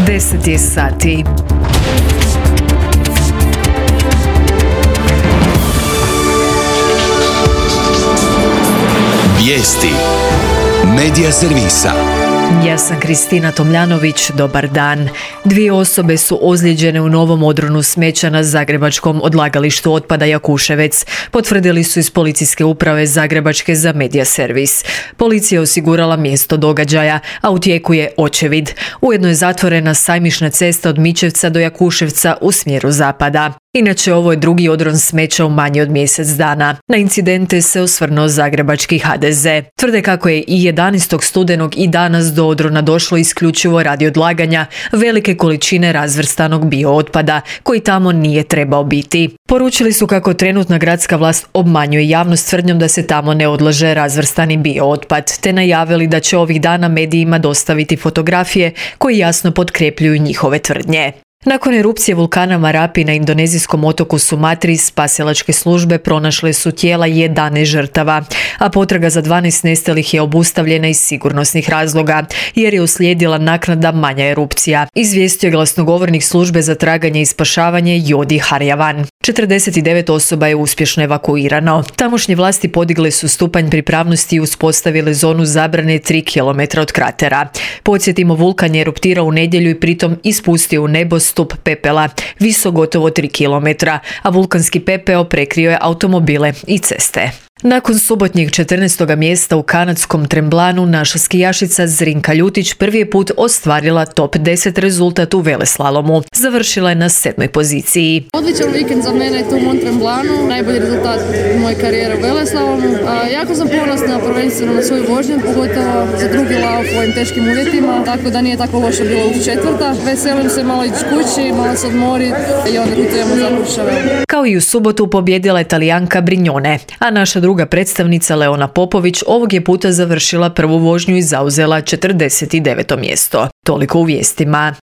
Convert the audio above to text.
10 je sati. Vijesti Medija servisa. Ja sam Kristina Tomljanović, dobar dan. 2 osobe su ozlijeđene u novom odronu smeća na zagrebačkom odlagalištu otpada Jakuševec, potvrdili su iz policijske uprave Zagrebačke za Medija servis. Policija je osigurala mjesto događaja, a u tijeku je očevid. Ujedno je zatvorena sajmišna cesta od Mičevca do Jakuševca u smjeru zapada. Inače, ovo je drugi odron smeća u manje od mjesec dana. Na incidente se osvrnuo zagrebački HDZ. Tvrde kako je i 11. studenog i danas do odrona došlo isključivo radi odlaganja velike količine razvrstanog biootpada, koji tamo nije trebao biti. Poručili su kako trenutna gradska vlast obmanjuje javnost tvrdnjom da se tamo ne odlaže razvrstani biootpad, te najavili da će ovih dana medijima dostaviti fotografije koji jasno potkrepljuju njihove tvrdnje. Nakon erupcije vulkana Marapi na indonezijskom otoku Sumatri, spasilačke službe pronašle su tijela 11 žrtava, a potraga za 12 nestalih je obustavljena iz sigurnosnih razloga, jer je uslijedila naknadna manja erupcija, izvijestio je glasnogovornik službe za traganje i spašavanje Jodi Harjavan. 49 osoba je uspješno evakuirano. Tamošnje vlasti podigle su stupanj pripravnosti i uspostavile zonu zabrane 3 km od kratera. Podsjetimo, vulkan je eruptirao u nedjelju i pritom ispustio u nebo stup pepela, visok gotovo 3 km, a vulkanski pepeo prekrio je automobile i ceste. Nakon subotnjeg 14. mjesta u kanadskom Tremblanu, naša skijašica Zrinka Ljutić prvi je put ostvarila top 10 rezultat u veleslalomu. Završila je na 7. poziciji. Odličan vikend za mene tu u Mont Tremblanu, najbolji rezultat moje karijere u veleslalomu. Jako sam ponosna prvenstveno na svoju vožnju, pogotovo za drugi lauf u ovim teškim uvjetima, tako da nije tako loše bilo u četvrta. Veselim se malo ići kući, malo se odmoriti i onda putujemo za Kruševo. Kao i u subotu pobjedila je Talijanka Brignone, a naša druga predstavnica Leona Popović ovog je puta završila prvu vožnju i zauzela 49. mjesto. Toliko u vijestima.